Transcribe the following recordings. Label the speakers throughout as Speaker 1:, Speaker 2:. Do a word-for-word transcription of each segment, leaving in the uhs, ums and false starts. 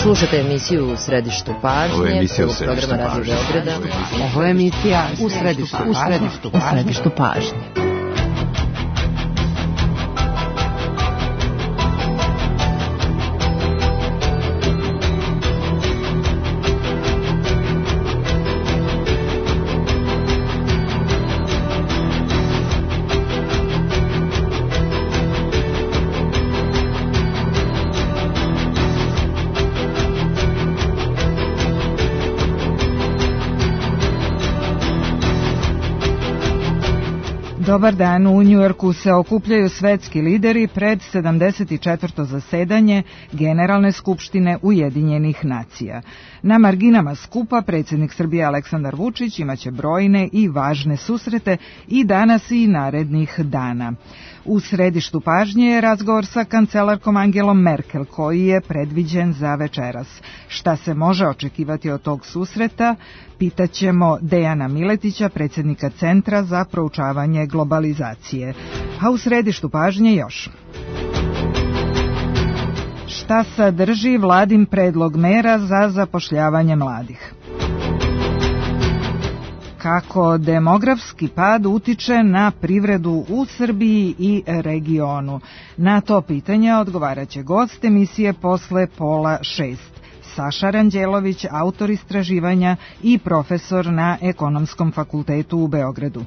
Speaker 1: Slušate emisiju U središtu pažnje.
Speaker 2: Ovo je emisija U
Speaker 1: središtu pažnje.
Speaker 3: Ovo je emisija U središtu pažnje. U središtu pažnje.
Speaker 4: Dobar dan, u Njujorku se okupljaju svetski lideri pred sedamdeset četvrto zasedanje Generalne skupštine Ujedinjenih nacija. Na marginama skupa predsjednik Srbije Aleksandar Vučić imaće brojne i važne susrete i danas i narednih dana. U središtu pažnje je razgovor sa kancelarkom Angelom Merkel koji je predviđen za večeras. Šta se može očekivati od tog susreta? Pitaćemo Dejana Miletića, predsjednika Centra za proučavanje globalizacije. A u središtu pažnje još. Šta sadrži vladin predlog mera za zapošljavanje mladih? Kako demografski pad utiče na privredu u Srbiji i regionu? Na to pitanje odgovaraće gost emisije posle pola šest. Saša Ranđelović, autor istraživanja i profesor na Ekonomskom fakultetu u Beogradu.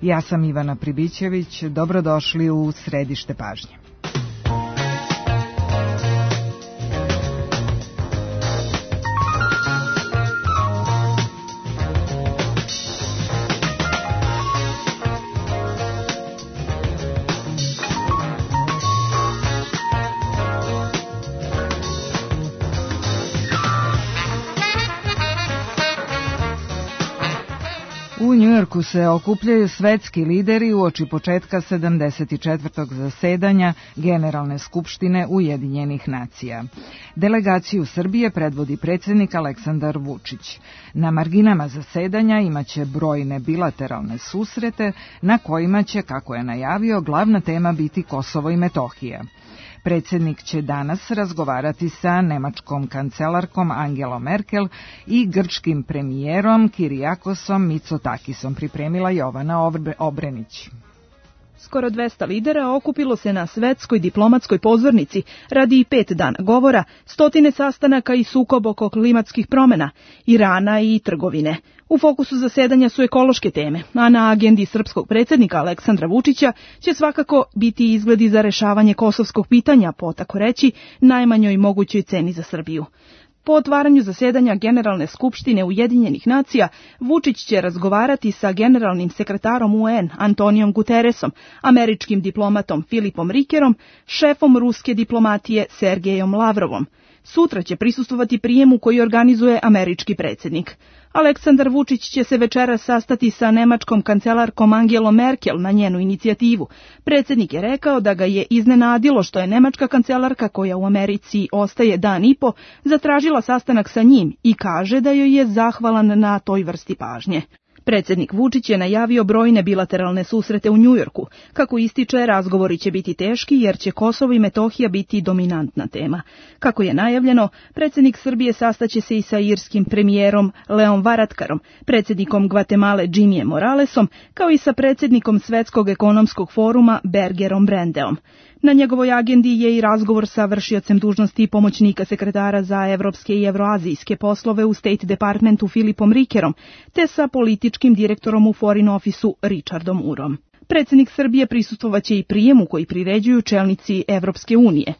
Speaker 4: Ja sam Ivana Pribićević, dobrodošli u središte pažnje. U Njujorku se okupljaju svetski lideri uoči početka sedamdeset četvrtog zasedanja Generalne skupštine Ujedinjenih nacija. Delegaciju Srbije predvodi predsjednik Aleksandar Vučić. Na marginama zasedanja imaće brojne bilateralne susrete na kojima će, kako je najavio, glavna tema biti Kosovo i Metohija. Predsjednik će danas razgovarati sa nemačkom kancelarkom Angelom Merkel i grčkim premijerom Kirijakosom Mitsotakisom, pripremila Jovana Obrenić.
Speaker 5: Skoro dvesta lidera okupilo se na svetskoj diplomatskoj pozornici radi pet dana govora, stotine sastanaka i sukob oko klimatskih promjena, Irana i trgovine. U fokusu zasedanja su ekološke teme, a na agendi srpskog predsjednika Aleksandra Vučića će svakako biti izgledi za rešavanje kosovskog pitanja po, tako reći, najmanjoj mogućoj ceni za Srbiju. Po otvaranju zasedanja Generalne skupštine Ujedinjenih nacija, Vučić će razgovarati sa generalnim sekretarom U N Antonijom Guterresom, američkim diplomatom Filipom Rikerom, šefom ruske diplomatije Sergejom Lavrovom. Sutra će prisustvovati prijemu koji organizuje američki predsjednik. Aleksandar Vučić će se večeras sastati sa nemačkom kancelarkom Angelom Merkel na njenu inicijativu. Predsjednik je rekao da ga je iznenadilo što je nemačka kancelarka, koja u Americi ostaje dan i po, zatražila sastanak sa njim i kaže da joj je zahvalan na toj vrsti pažnje. Predsjednik Vučić je najavio brojne bilateralne susrete u Njujorku. Kako ističe, razgovori će biti teški jer će Kosovo i Metohija biti dominantna tema. Kako je najavljeno, predsjednik Srbije sastaće se i sa irskim premijerom Leom Varadkarom, predsjednikom Gvatemale Jimijem Moralesom, kao i sa predsjednikom Svetskog ekonomskog foruma Bergerom Brendeom. Na njegovoj agendi je i razgovor sa vršiocem dužnosti pomoćnika sekretara za evropske i evroazijske poslove u State Departmentu Filipom Rikerom, te sa političkim direktorom u Foreign Officeu Richardom Urom. Predsjednik Srbije prisustvovaće i prijemu koji priređuju čelnici Evropske unije.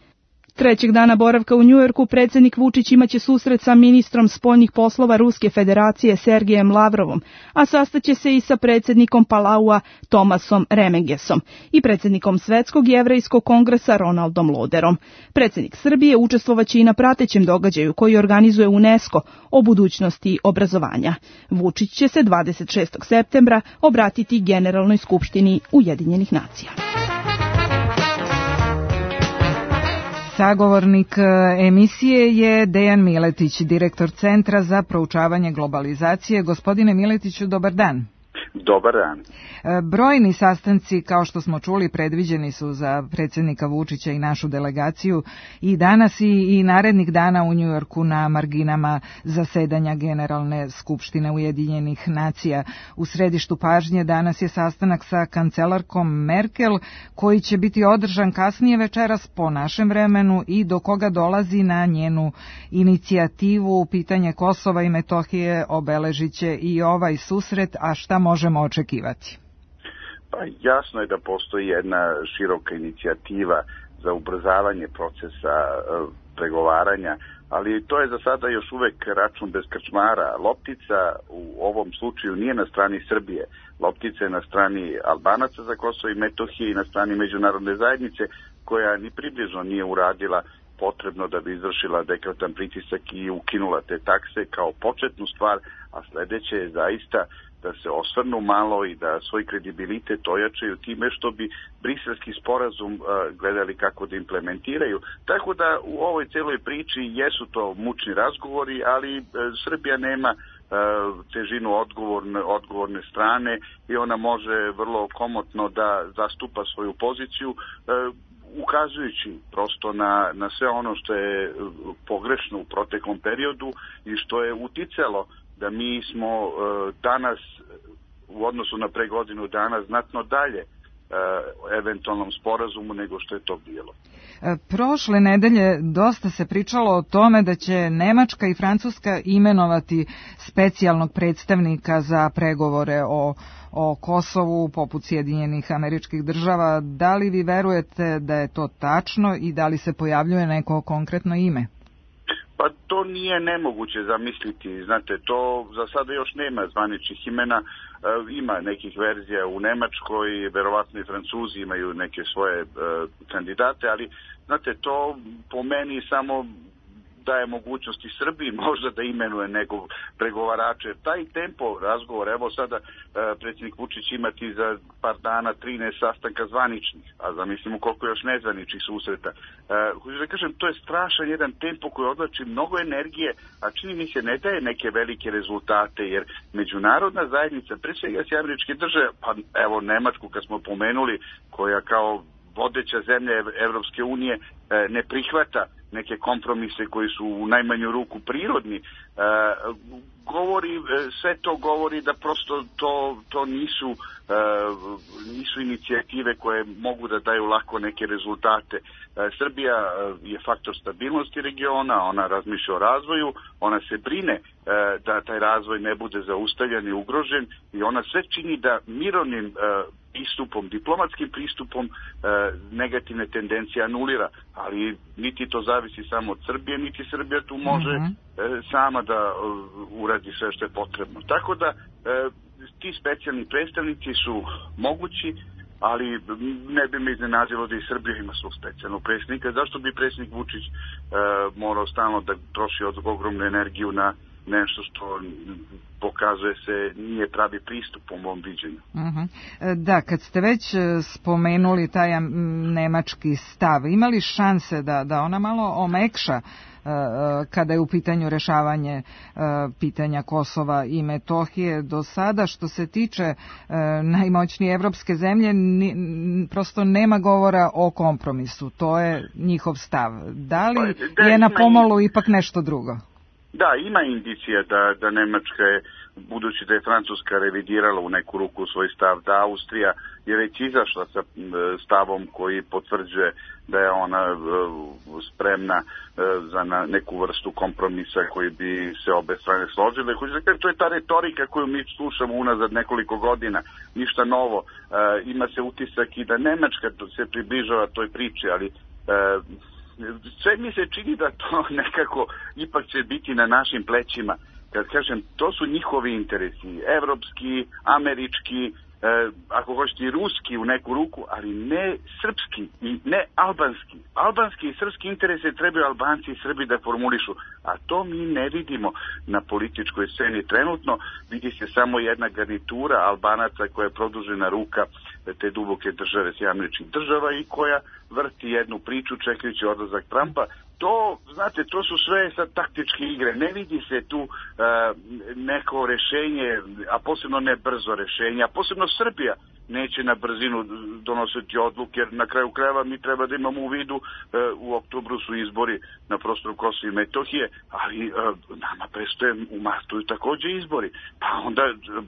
Speaker 5: Trećeg dana boravka u Njujorku predsjednik Vučić imaće susret sa ministrom spoljnih poslova Ruske federacije Sergejem Lavrovom, a sastaće se i sa predsjednikom Palaua Tomasom Remengesom i predsjednikom Svetskog jevrejskog kongresa Ronaldom Loderom. Predsjednik Srbije učestvovaće i na pratećem događaju koji organizuje UNESCO o budućnosti obrazovanja. Vučić će se dvadeset šestog septembra obratiti Generalnoj skupštini Ujedinjenih nacija.
Speaker 4: Sagovornik emisije je Dejan Miletić, direktor Centra za proučavanje globalizacije. Gospodine Miletiću, dobar dan.
Speaker 2: Dobar dan.
Speaker 4: Brojni sastanci, kao što smo čuli, predviđeni su za predsjednika Vučića i našu delegaciju i danas i, i narednih dana u Njujorku na marginama zasedanja Generalne skupštine Ujedinjenih nacija. U središtu pažnje danas je sastanak sa kancelarkom Merkel, koji će biti održan kasnije večeras po našem vremenu i do koga dolazi na njenu inicijativu. Pitanje Kosova i Metohije obeležit će i ovaj susret, a šta možemo očekivati?
Speaker 2: Pa jasno je da postoji jedna široka inicijativa za ubrzavanje procesa pregovaranja, ali to je za sada još uvek račun bez krčmara. Loptica u ovom slučaju nije na strani Srbije. Loptica je na strani Albanaca za Kosovo i Metohije i na strani međunarodne zajednice, koja ni približno nije uradila potrebno da bi izvršila adekvatan pritisak i ukinula te takse kao početnu stvar, a sledeće je zaista da se osvrnu malo i da svoj kredibilitet ojačaju time što bi briselski sporazum uh, gledali kako da implementiraju. Tako da u ovoj celoj priči jesu to mučni razgovori, ali uh, Srbija nema uh, težinu odgovorne, odgovorne strane i ona može vrlo komotno da zastupa svoju poziciju, uh, ukazujući prosto na, na sve ono što je pogrešno u proteklom periodu i što je uticalo da mi smo uh, danas u odnosu na pre godinu dana znatno dalje uh, eventualnom sporazumu nego što je to bilo.
Speaker 4: Prošle nedelje dosta se pričalo o tome da će Nemačka i Francuska imenovati specijalnog predstavnika za pregovore o, o Kosovu poput Sjedinjenih Američkih Država. Da li vi verujete da je to tačno i da li se pojavljuje neko konkretno ime?
Speaker 2: Pa to nije nemoguće zamisliti, znate, to za sada još nema zvaničnih imena, e, ima nekih verzija u Nemačkoj, verovatno i Francuzi imaju neke svoje e, kandidate, ali znate, to po meni samo daje mogućnosti Srbiji možda da imenuje nekog pregovarača. Taj tempo razgovora, evo sada e, predsjednik Vučić imati za par dana trinaest sastanka zvaničnih, a zamislimo koliko još nezvaničnih susreta. E, hoću da kažem, to je strašan jedan tempo koji odlači mnogo energije, a čini mi se ne daje neke velike rezultate, jer međunarodna zajednica, pre svega s Američke države, pa evo Nemačku kad smo pomenuli, koja kao vodeća zemlja Evropske unije e, ne prihvata neke kompromise koji su u najmanju ruku prirodni, e, govori, sve to govori da prosto to, to nisu, e, nisu inicijative koje mogu da daju lako neke rezultate. E, Srbija je faktor stabilnosti regiona, ona razmišlja o razvoju, ona se brine e, da taj razvoj ne bude zaustavljan i ugrožen i ona sve čini da mirovnim e, pristupom, diplomatskim pristupom e, negativne tendencije anulira, ali niti to zavisi samo od Srbije, niti Srbija tu može mm-hmm. e, sama da e, uradi sve što je potrebno. Tako da e, ti specijalni predstavnici su mogući, ali ne bi me iznenadilo da i Srbija ima svog specijalnog predsjednika. Zašto bi predsjednik Vučić e, morao stalno da troši od ogromnu energiju na nešto što pokazuje se nije pravi pristup u mom viđenju.
Speaker 4: Uh-huh. Da, kad ste već spomenuli taj nemački stav, ima li šanse da, da ona malo omekša uh, kada je u pitanju rešavanje uh, pitanja Kosova i Metohije? Do sada, što se tiče uh, najmoćnije evropske zemlje, ni, prosto nema govora o kompromisu. To je njihov stav. Da li
Speaker 2: da,
Speaker 4: je na pomolu
Speaker 2: i...
Speaker 4: ipak nešto drugo?
Speaker 2: Da, ima indicija da, da Nemačka je, budući da je Francuska revidirala u neku ruku svoj stav, da Austrija je već izašla sa stavom koji potvrđuje da je ona spremna za neku vrstu kompromisa koji bi se obe strane složile. To je ta retorika koju mi slušamo unazad nekoliko godina, ništa novo. Ima se utisak i da Nemačka se približava toj priči, ali sve mi se čini da to nekako ipak će biti na našim plećima. Kad kažem, to su njihovi interesi, evropski, američki, eh, ako hoćete i ruski u neku ruku, ali ne srpski i ne albanski. Albanski i srpski interese trebaju Albanci i Srbi da formulišu, a to mi ne vidimo na političkoj sceni trenutno. Vidi se samo jedna garnitura Albanaca koja je produžena ruka te duboke države Sjedinjenih Američkih Država i koja vrti jednu priču čekajući odlazak Trumpa. To, znate, to su sve sad taktičke igre. Ne vidi se tu uh, neko rešenje, a posebno ne brzo rešenje, a posebno Srbija neće na brzinu donositi odluke, jer na kraju krajeva mi treba da imamo u vidu, uh, u oktobru su izbori na prostoru Kosova i Metohije, ali uh, nama prestoje u martu i takođe izbori. Pa onda uh,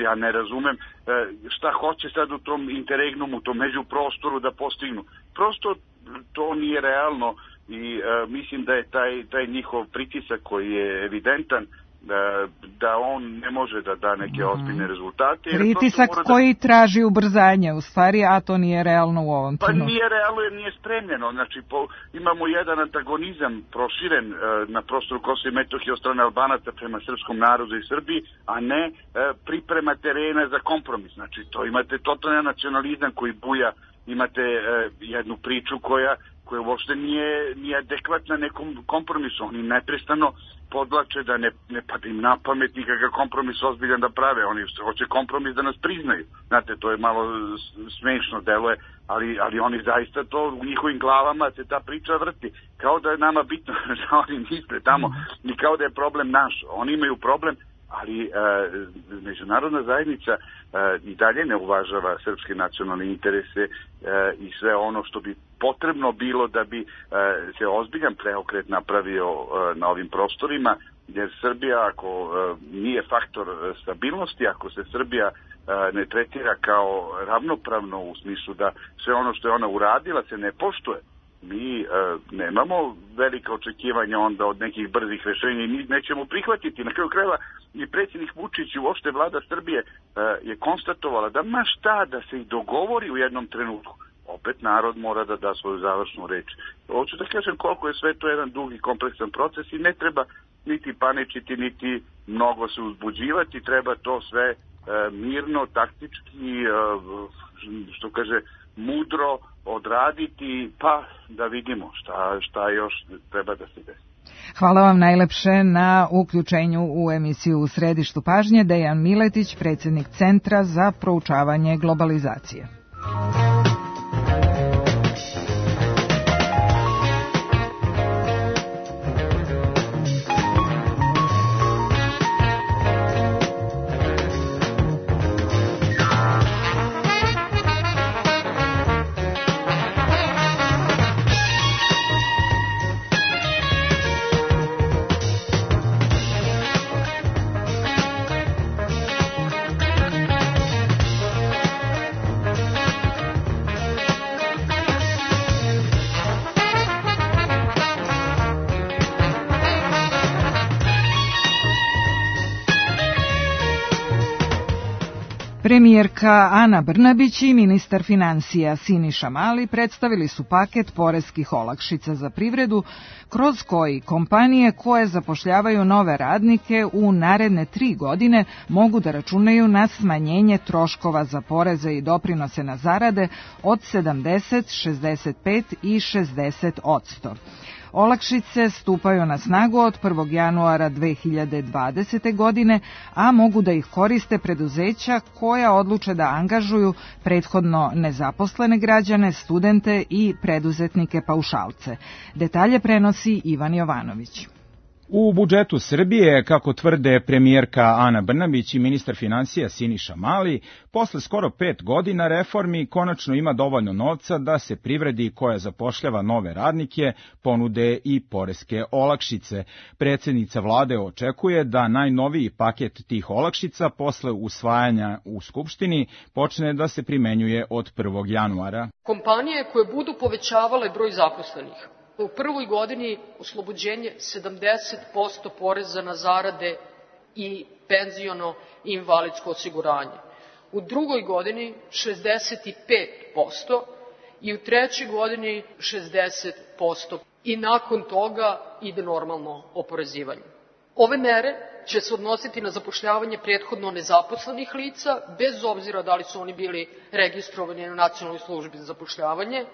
Speaker 2: ja ne razumem uh, šta hoće sad u tom interregnumu, u tom međuprostoru da postignu. Prosto to nije realno. I uh, mislim da je taj, taj njihov pritisak koji je evidentan da, da on ne može da da neke ozbiljne rezultate.
Speaker 4: Pritisak koji da... traži ubrzanje u stvari, a to nije realno u ovom trenutku.
Speaker 2: Pa nije realno jer nije spremljeno. Znači po, imamo jedan antagonizam proširen uh, na prostoru Kosova i Metohije od strane Albanaca prema srpskom narodu i Srbiji, a ne uh, priprema terena za kompromis. Znači to imate totalni nacionalizam koji buja, imate uh, jednu priču koja koja uopšte nije, nije adekvatna nekom kompromisu. Oni neprestano podlače da ne, ne pada im na pamet nikakav kompromis ozbiljan da prave. Oni hoće kompromis da nas priznaju. Znate, to je malo smešno deluje, ali, ali oni zaista to u njihovim glavama se ta priča vrti. Kao da je nama bitno da oni misle tamo i kao da je problem naš. Oni imaju problem, ali e, međunarodna zajednica e, i dalje ne uvažava srpske nacionalne interese e, i sve ono što bi potrebno bilo da bi e, se ozbiljan preokret napravio e, na ovim prostorima, jer Srbija ako e, nije faktor stabilnosti, ako se Srbija e, ne tretira kao ravnopravno u smislu da sve ono što je ona uradila se ne poštuje, mi e, nemamo velika očekivanja onda od nekih brzih rešenja i mi nećemo prihvatiti. Na kraju krajeva i predsjednik Vučić i uopšte vlada Srbije e, je konstatovala da ma šta da se i dogovori u jednom trenutku. Opet narod mora da da svoju završnu reč. Hoću da kažem koliko je sve to jedan dug i kompleksan proces i ne treba niti paničiti, niti mnogo se uzbuđivati. Treba to sve e, mirno, taktički, e, što kaže, mudro odraditi, pa da vidimo šta, šta još treba da se desi.
Speaker 4: Hvala vam najlepše na uključenju u emisiju U središtu pažnje. Dejan Miletić, predsjednik Centra za proučavanje globalizacije. Premijerka Ana Brnabić i ministar financija Siniša Mali predstavili su paket poreskih olakšica za privredu, kroz koji kompanije koje zapošljavaju nove radnike u naredne tri godine mogu da računaju na smanjenje troškova za poreze i doprinose na zarade od sedamdeset, šezdeset pet i šezdeset odsto. Olakšice stupaju na snagu od prvog januara dve hiljade dvadesete. godine, a mogu da ih koriste preduzeća koja odluče da angažuju prethodno nezaposlene građane, studente i preduzetnike paušalce. Detalje prenosi Ivan Jovanović.
Speaker 6: U budžetu Srbije, kako tvrde premijerka Ana Brnabić i ministar financija Siniša Mali, posle skoro pet godina reformi konačno ima dovoljno novca da se privredi koja zapošljava nove radnike ponude i poreske olakšice. Predsjednica vlade očekuje da najnoviji paket tih olakšica posle usvajanja u Skupštini počne da se primenjuje od prvog januara.
Speaker 7: Kompanije koje budu povećavale broj zaposlenih, u prvoj godini oslobođenje sedamdeset posto poreza na zarade i penziono i invalidsko osiguranje. U drugoj godini šezdeset pet posto i u trećoj godini šezdeset posto. I nakon toga ide normalno oporezivanje. Ove mere će se odnositi na zapošljavanje prethodno nezaposlenih lica, bez obzira da li su oni bili registrovani na Nacionalnoj službi za zapošljavanje,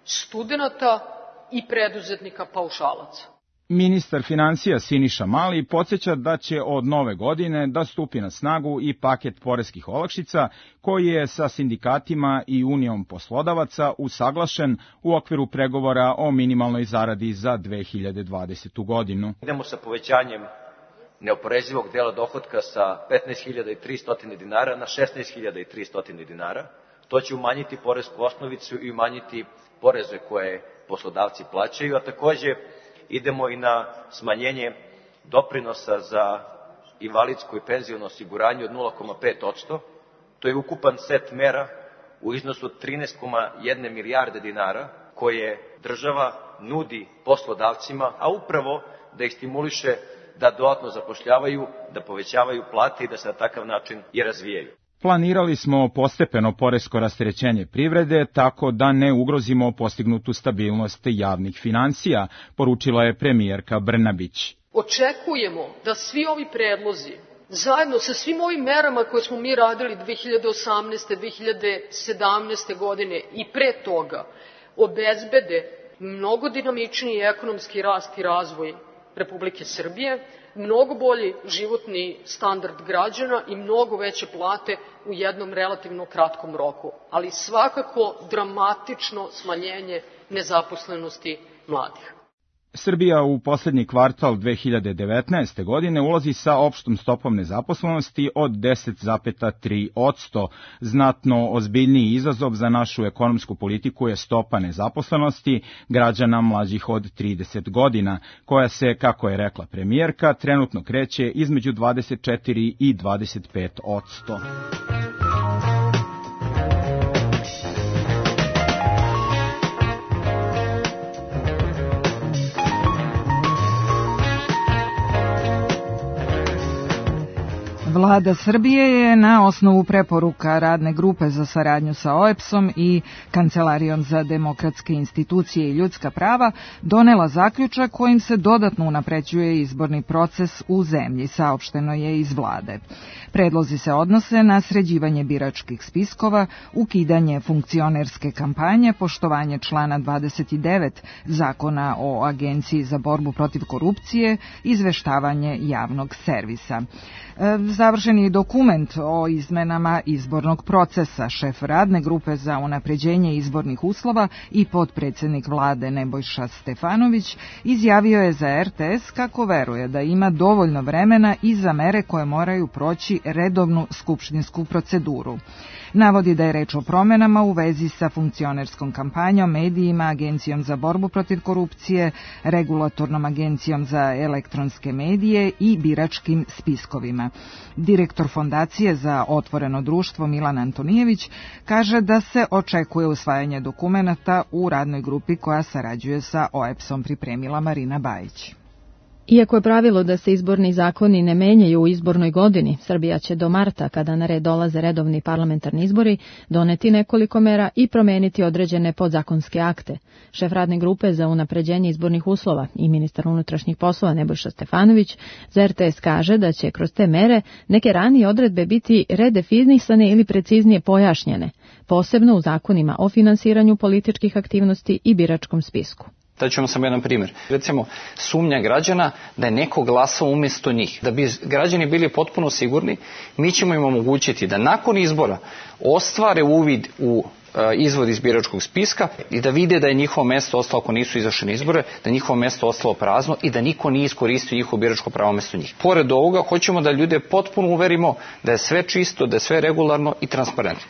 Speaker 7: studenata i preduzetnika paušalaca.
Speaker 6: Ministar financija Siniša Mali podsjeća da će od nove godine da stupi na snagu i paket poreskih olakšica koji je sa sindikatima i Unijom poslodavaca usaglašen u okviru pregovora o minimalnoj zaradi za dve hiljade dvadesetu godinu.
Speaker 8: Idemo sa povećanjem neoporezivog dela dohotka sa petnaest hiljada tristo dinara na šesnaest hiljada tristo dinara. To će umanjiti poresku osnovicu i umanjiti poreze koje poslodavci plaćaju, a takođe idemo i na smanjenje doprinosa za invalidsko i penziono osiguranje od nula zarez pet posto. To je ukupan set mera u iznosu od trinaest zarez jedna milijarde dinara koje država nudi poslodavcima, a upravo da ih stimuliše da dodatno zapošljavaju, da povećavaju plate i da se na takav način i razvijaju.
Speaker 6: Planirali smo postepeno poresko rasterećenje privrede tako da ne ugrozimo postignutu stabilnost javnih finansija, poručila je premijerka Brnabić.
Speaker 7: Očekujemo da svi ovi predlozi, zajedno sa svim ovim merama koje smo mi radili dve hiljade osamnaeste. dve hiljade sedamnaeste. godine i pre toga, obezbede mnogo dinamičniji ekonomski rast i razvoj Republike Srbije, mnogo bolji životni standard građana i mnogo veće plate u jednom relativno kratkom roku, ali svakako dramatično smanjenje nezaposlenosti mladih.
Speaker 6: Srbija u poslednji kvartal dve hiljade devetnaeste. godine ulazi sa opštom stopom nezaposlenosti od deset zarez tri posto. Znatno ozbiljniji izazov za našu ekonomsku politiku je stopa nezaposlenosti građana mlađih od trideset godina, koja se, kako je rekla premijerka, trenutno kreće između dvadeset četiri i dvadeset pet posto.
Speaker 4: Vlada Srbije je na osnovu preporuka Radne grupe za saradnju sa O E B S-om i Kancelarijom za demokratske institucije i ljudska prava donela zaključak kojim se dodatno unapređuje izborni proces u zemlji, saopšteno je iz vlade. Predlozi se odnose na sređivanje biračkih spiskova, ukidanje funkcionerske kampanje, poštovanje člana dvadeset devet Zakona o Agenciji za borbu protiv korupcije, izveštavanje javnog servisa. Završen je dokument o izmenama izbornog procesa. Šef Radne grupe za unapređenje izbornih uslova i potpredsednik vlade Nebojša Stefanović izjavio je za R T S kako veruje da ima dovoljno vremena i za mere koje moraju proći redovnu skupštinsku proceduru. Navodi da je reč o promenama u vezi sa funkcionerskom kampanjom, medijima, Agencijom za borbu protiv korupcije, Regulatornom agencijom za elektronske medije i biračkim spiskovima. Direktor Fondacije za otvoreno društvo Milan Antonijević kaže da se očekuje usvajanje dokumenata u radnoj grupi koja sarađuje sa O E B S-om, pripremila Marina Bajić.
Speaker 9: Iako je pravilo da se izborni zakoni ne menjaju u izbornoj godini, Srbija će do marta, kada na red dolaze redovni parlamentarni izbori, doneti nekoliko mera i promeniti određene podzakonske akte. Šef radne grupe za unapređenje izbornih uslova i ministar unutrašnjih poslova Nebojša Stefanović za R T S kaže da će kroz te mere neke ranije odredbe biti redefinisane ili preciznije pojašnjene, posebno u zakonima o finansiranju političkih aktivnosti i biračkom spisku.
Speaker 10: Daću vam samo jedan primjer. Recimo, sumnja građana da je neko glasao umjesto njih. Da bi građani bili potpuno sigurni, mi ćemo im omogućiti da nakon izbora ostvare uvid u izvod iz biračkog spiska i da vide da je njihovo mesto ostalo, ako nisu izašli na izbore, da je njihovo mesto ostalo prazno i da niko nije iskoristio njihovo biračko pravo mesto njih. Pored ovoga, hoćemo da ljude potpuno uverimo da je sve čisto, da je sve regularno i transparentno.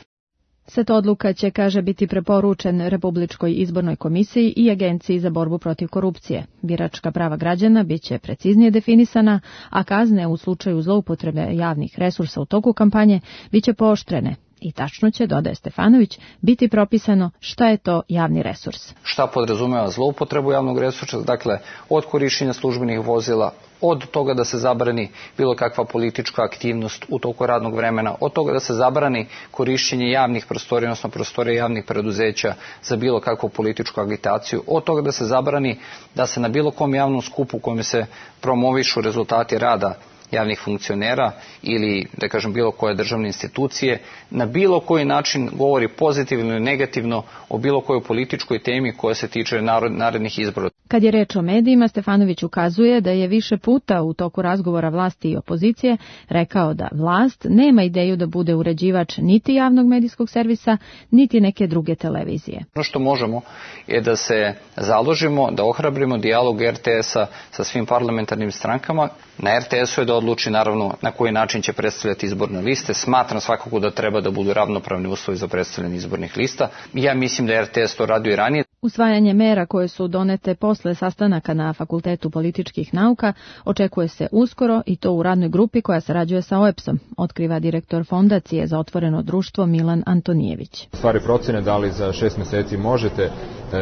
Speaker 9: Set odluka će, kaže, biti preporučen Republičkoj izbornoj komisiji i Agenciji za borbu protiv korupcije. Biračka prava građana biće preciznije definisana, a kazne u slučaju zloupotrebe javnih resursa u toku kampanje biće pooštrene. I tačno će, dodaje Stefanović, biti propisano šta je to javni resurs.
Speaker 10: Šta podrazumeva zloupotrebu javnog resursa, dakle od korišćenja službenih vozila, od toga da se zabrani bilo kakva politička aktivnost u toku radnog vremena, od toga da se zabrani korišćenje javnih prostorija, odnosno prostorija javnih preduzeća za bilo kakvu političku agitaciju, od toga da se zabrani da se na bilo kom javnom skupu u kojem se promovišu rezultati rada javnih funkcionera ili, da kažem, bilo koje državne institucije, na bilo koji način govori pozitivno ili negativno o bilo kojoj političkoj temi koja se tiče narednih izbora.
Speaker 9: Kad je reč o medijima, Stefanović ukazuje da je više puta u toku razgovora vlasti i opozicije rekao da vlast nema ideju da bude uređivač niti javnog medijskog servisa, niti neke druge televizije.
Speaker 10: Ono što možemo je da se založimo, da ohrabrimo dijalog er te esa sa svim parlamentarnim strankama. Na er te esu je da odluči naravno na koji način će predstavljati izborne liste. Smatram svakako da treba da budu ravnopravni uslovi za predstavljanje izbornih lista. Ja mislim da er te es to radio i ranije.
Speaker 9: Usvajanje mera koje su donete posle sastanaka na Fakultetu političkih nauka očekuje se uskoro i to u radnoj grupi koja sarađuje sa o e p s-om, otkriva direktor Fondacije za otvoreno društvo Milan Antonijević.
Speaker 11: Stvari procene da li za šest meseci možete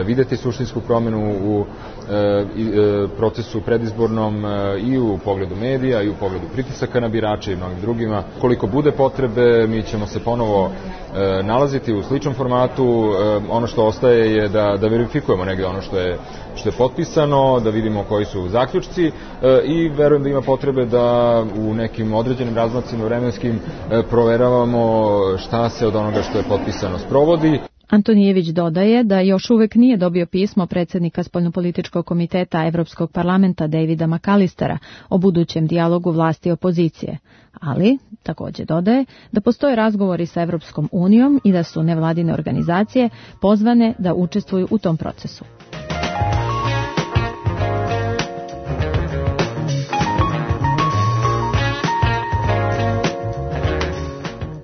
Speaker 11: videti suštinsku promenu u procesu predizbornom i u pogledu medija i u pogledu pritisaka na birače i mnogim drugima. Koliko bude potrebe, mi ćemo se ponovo nalaziti u sličnom formatu. Ono što ostaje je da, da verifikujemo negde ono što je, što je potpisano, da vidimo koji su zaključci i verujem da ima potrebe da u nekim određenim razmacima vremenskim proveravamo šta se od onoga što je potpisano sprovodi.
Speaker 9: Antonijević dodaje da još uvek nije dobio pismo predsjednika Spoljnopolitičkog komiteta Evropskog parlamenta Davida McAllistera o budućem dijalogu vlasti i opozicije, ali također dodaje da postoje razgovori sa Evropskom unijom i da su nevladine organizacije pozvane da učestvuju u tom procesu.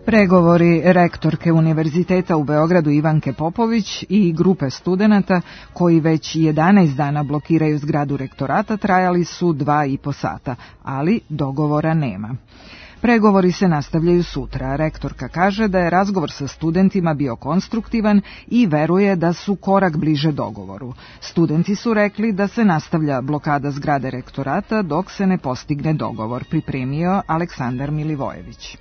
Speaker 4: Pregovori rektorke Univerziteta u Beogradu Ivanke Popović i grupe studenata koji već jedanaest dana blokiraju zgradu rektorata trajali su dva i po sata, ali dogovora nema. Pregovori se nastavljaju sutra. Rektorka kaže da je razgovor sa studentima bio konstruktivan i veruje da su korak bliže dogovoru. Studenti su rekli da se nastavlja blokada zgrade rektorata dok se ne postigne dogovor, pripremio Aleksandar Milivojević.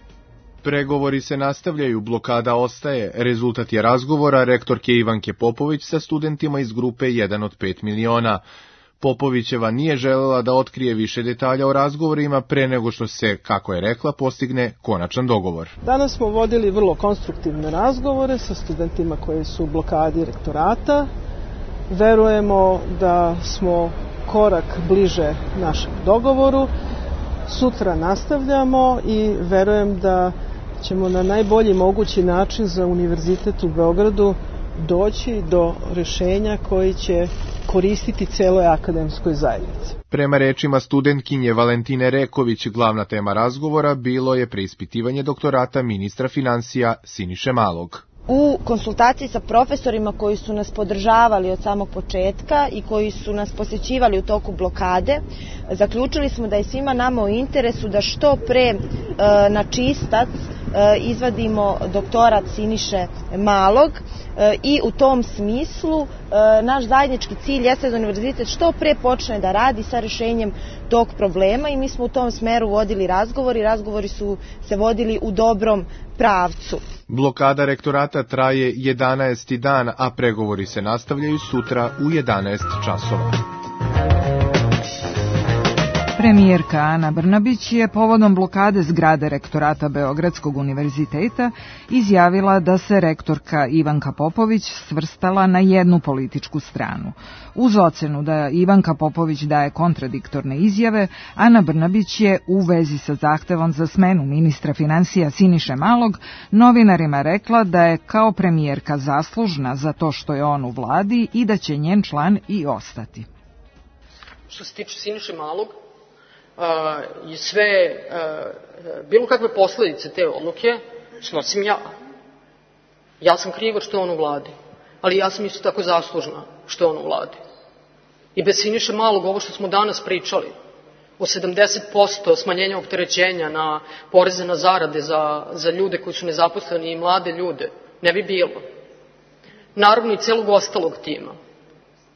Speaker 12: Pregovori se nastavljaju, blokada ostaje. Rezultat je razgovora rektorke Ivanke Popović sa studentima iz grupe jedan od pet miliona. Popovićeva nije želela da otkrije više detalja o razgovorima pre nego što se, kako je rekla, postigne konačan dogovor.
Speaker 13: Danas smo vodili vrlo konstruktivne razgovore sa studentima koji su u blokadi rektorata. Verujemo da smo korak bliže našem dogovoru. Sutra nastavljamo i verujem da ćemo na najbolji mogući način za Univerzitet u Beogradu doći do rešenja koji će koristiti celoj akademskoj zajednici.
Speaker 12: Prema rečima studentkinje Valentine Reković, glavna tema razgovora bilo je preispitivanje doktorata ministra finansija Siniše Malog.
Speaker 14: U konsultaciji sa profesorima koji su nas podržavali od samog početka i koji su nas posjećivali u toku blokade, zaključili smo da je svima nama u interesu da što pre e, na čistac e, izvadimo doktorat Siniše Malog e, i u tom smislu e, naš zajednički cilj jeste da univerzitet što pre počne da radi sa rešenjem tog problema i mi smo u tom smeru vodili razgovori. Razgovori su se vodili u dobrom pravcu.
Speaker 12: Blokada rektorata traje jedanaesti dan, a pregovori se nastavljaju sutra u jedanaest časova.
Speaker 4: Premijerka Ana Brnabić je povodom blokade zgrade rektorata Beogradskog univerziteta izjavila da se rektorka Ivanka Popović svrstala na jednu političku stranu. Uz ocenu da Ivanka Popović daje kontradiktorne izjave, Ana Brnabić je u vezi sa zahtevom za smenu ministra finansija Siniše Malog novinarima rekla da je kao premijerka zaslužna za to što je on u vladi i da će njen član i ostati.
Speaker 7: Što se tiče Siniše Malog, Uh, i sve, uh, bilo kakve posledice te odluke snosim ja. Ja sam kriva što je on u vladi, ali ja sam isto tako zaslužna što je on u vladi. I bez Siniše Malog, ovo što smo danas pričali, o sedamdeset posto smanjenja opterećenja na poreze na zarade za, za ljude koji su nezaposleni i mlade ljude, ne bi bilo. Naravno i celog ostalog tima.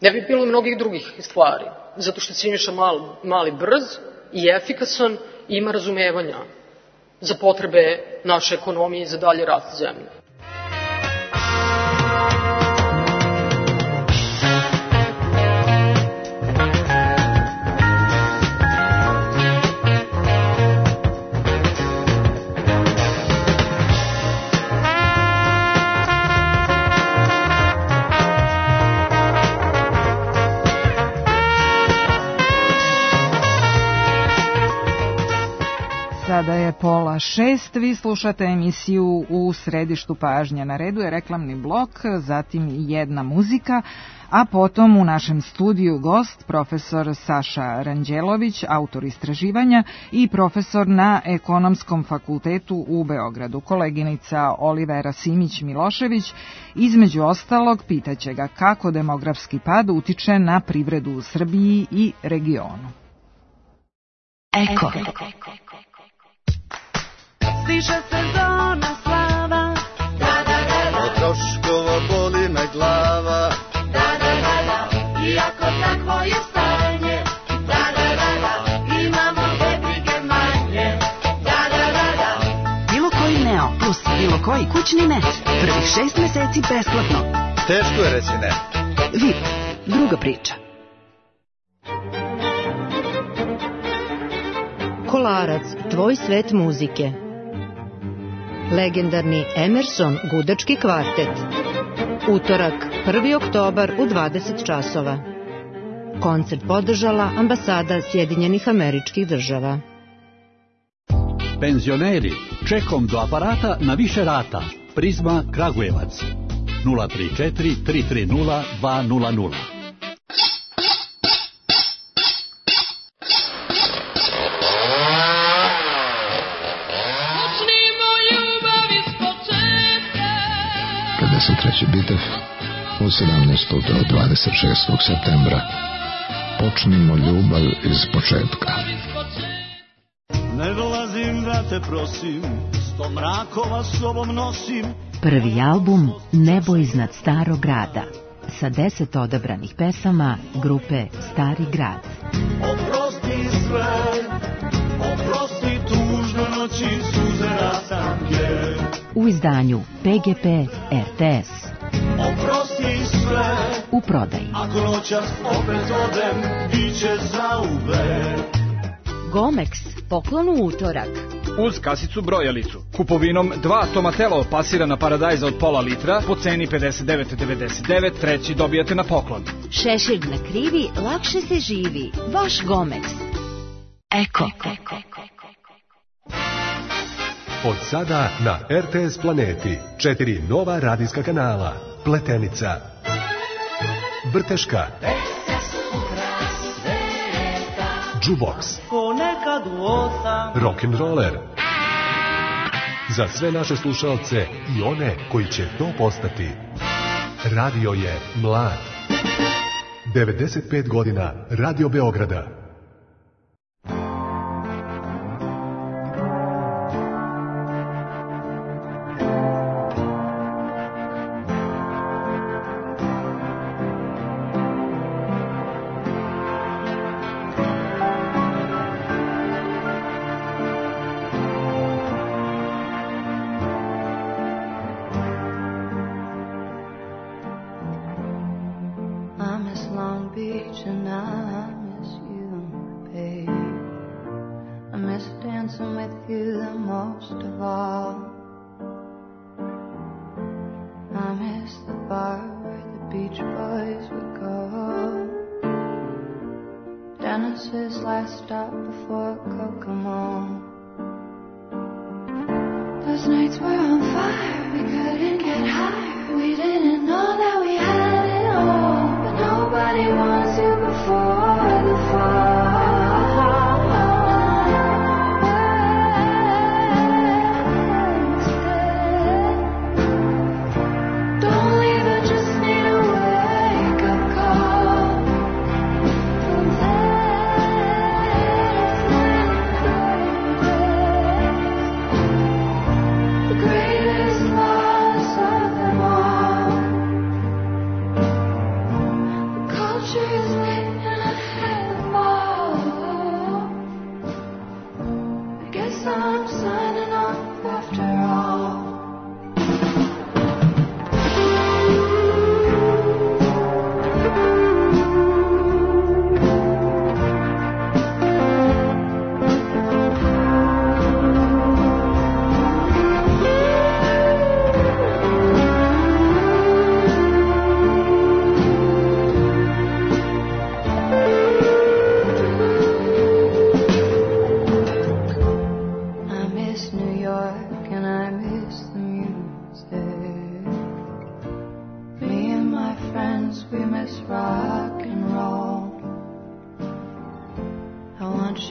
Speaker 7: Ne bi bilo i mnogih drugih stvari, zato što je Siniša Mali, mali brz i efikasan i ima razumevanja za potrebe naše ekonomije i za dalje rast zemlje.
Speaker 4: Sada je pola šest, vi slušate emisiju U središtu pažnje. Na redu je reklamni blok, zatim jedna muzika, a potom u našem studiju gost profesor Saša Ranđelović, autor istraživanja i profesor na Ekonomskom fakultetu u Beogradu. Koleginica Olivera Simić-Milošević između ostalog pitaće ga kako demografski pad utiče na privredu u Srbiji i regionu.
Speaker 3: Eko.
Speaker 15: Stiže sezona slava, da, da, da, da. Od troškova boli me glava, da, da, da, da. Iako takvo je stanje, da, da, da, da. Imamo dve brige manje, da, da, da, da.
Speaker 3: Bilo koji Neo plus bilo koji kućni net, prvih šest meseci besplatno.
Speaker 15: Teško je reći ne.
Speaker 3: V I P, druga priča.
Speaker 1: Kolarac, tvoj svet muzike. Legendarni Emerson gudački kvartet. Utorak, prvi oktobar u dvadeset časova. Koncert podržala ambasada Sjedinjenih Američkih Država.
Speaker 16: Penzioneri, čekom do aparata na više rata. Prizma Kragujevac. nula tri četiri tri tri nula dva nula nula.
Speaker 17: Treći bitev u sedamnaestog do dvadeset šestog septembra. Počnimo ljubav iz početka.
Speaker 15: Ne dolazim da te prosim, sto mrakova sobom nosim.
Speaker 18: Prvi album Nebo iznad starog grada sa deset odabranih pesama grupe Stari grad.
Speaker 15: Oprosti sve, oprosti tužne noći, suze rastanke.
Speaker 18: U izdanju P G P R T S.
Speaker 15: Oprosti sve,
Speaker 18: u prodaji.
Speaker 15: Ako noćas opet odem, bit će zauvek.
Speaker 1: Gomex, poklon u utorak.
Speaker 19: Uz kasicu brojalicu. Kupovinom dva Tomatelo pasirana paradajza od pola litra po ceni pedeset devet devedeset devet, treći dobijate na poklon.
Speaker 1: Šešir na krivi, lakše se živi. Vaš Gomex.
Speaker 3: Eko.
Speaker 20: Od sada na R T S Planeti četiri nova radijska kanala. Pletenica, Vrteška, Jukebox, Rock'n'Roller. Za sve naše slušalce i one koji će to postati. Radio je mlad. devedeset pet godina Radio Beograda.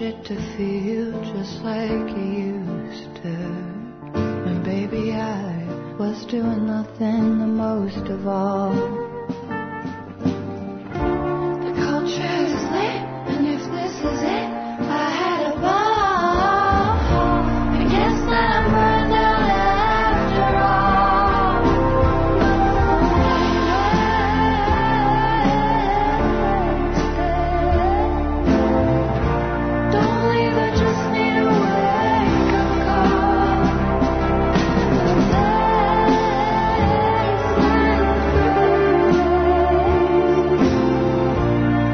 Speaker 21: it to feel just like you used to. And baby, I was doing nothing the most of all. The culture is lit, and if this is it, I had a ball. I guess that I'm burned out after all. Don't leave, I just need a wake-up call.